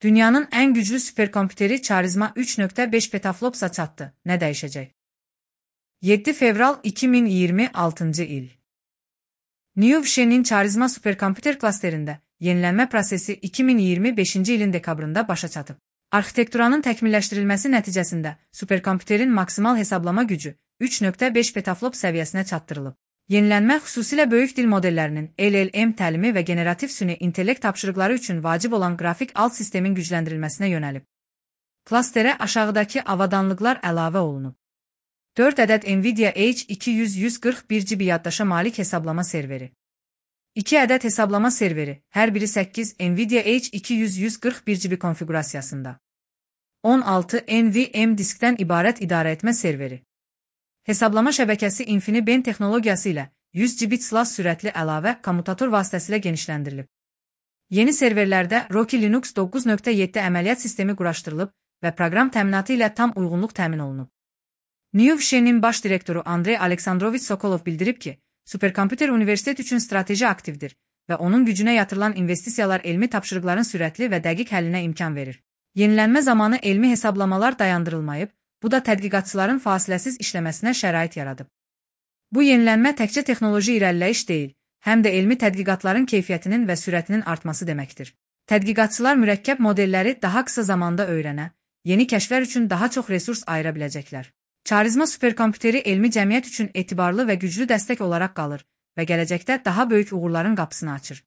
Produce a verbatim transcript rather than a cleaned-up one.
Dünyanın en güclü süperkompüteri Charizma üç nokta beş petaflops'a çatdı. Ne değişecek? yedi fevral iki min iyirmi altıncı il. News'nin Charizma süperkompüter klasterində yenilenme prosesi iki min iyirmi beşinci ilin dekabrında başa çatıb. Arxitekturanın təkmilləşdirilməsi nəticəsində süperkompüterin maksimal hesablama gücü üç nokta beş petaflop səviyyəsinə çatdırılıb. Yenilənmə xüsusilə böyük dil modellərinin L L M təlimi və generativ süni intellekt tapşırıqları üçün vacib olan qrafik alt sistemin gücləndirilməsinə yönəlib. Klasterə aşağıdakı avadanlıqlar əlavə olunub. dörd ədəd Nvidia H iki yüz yüz qırx bir giqabayt yaddaşa malik hesablama serveri. iki ədəd hesablama serveri, hər biri səkkiz Nvidia H iki yüz yüz qırx bir giqabayt konfigurasiyasında. on altı N V M diskdən ibarət idarəetmə serveri. Hesablama şəbəkəsi InfiniBand texnologiyası ilə yüz giqabayt slash sürətli əlavə kommutator vasitəsilə genişləndirilib. Yeni serverlərdə Rocky Linux doqquz nöqtə yeddi əməliyyat sistemi quraşdırılıb və proqram təminatı ilə tam uyğunluq təmin olunub. News'nin baş direktoru Andrey Aleksandroviç Sokolov bildirib ki, süperkompüter universitet üçün strateji aktivdir və onun gücünə yatırılan investisiyalar elmi tapşırıqların sürətli və dəqiq həllinə imkan verir. Yenilənmə zamanı elmi hesablamalar dayandırılmayıb, bu da tədqiqatçıların fasiləsiz işləməsinə şərait yaradıb. Bu yenilənmə təkcə texnoloji irəliləyiş deyil, həm də elmi tədqiqatların keyfiyyətinin və sürətinin artması deməkdir. Tədqiqatçılar mürəkkəb modelləri daha qısa zamanda öyrənə, yeni kəşflər üçün daha çox resurs ayıra biləcəklər. Charizma süperkompüteri elmi cəmiyyət üçün etibarlı və güclü dəstək olaraq qalır və gələcəkdə daha böyük uğurların qapısını açır.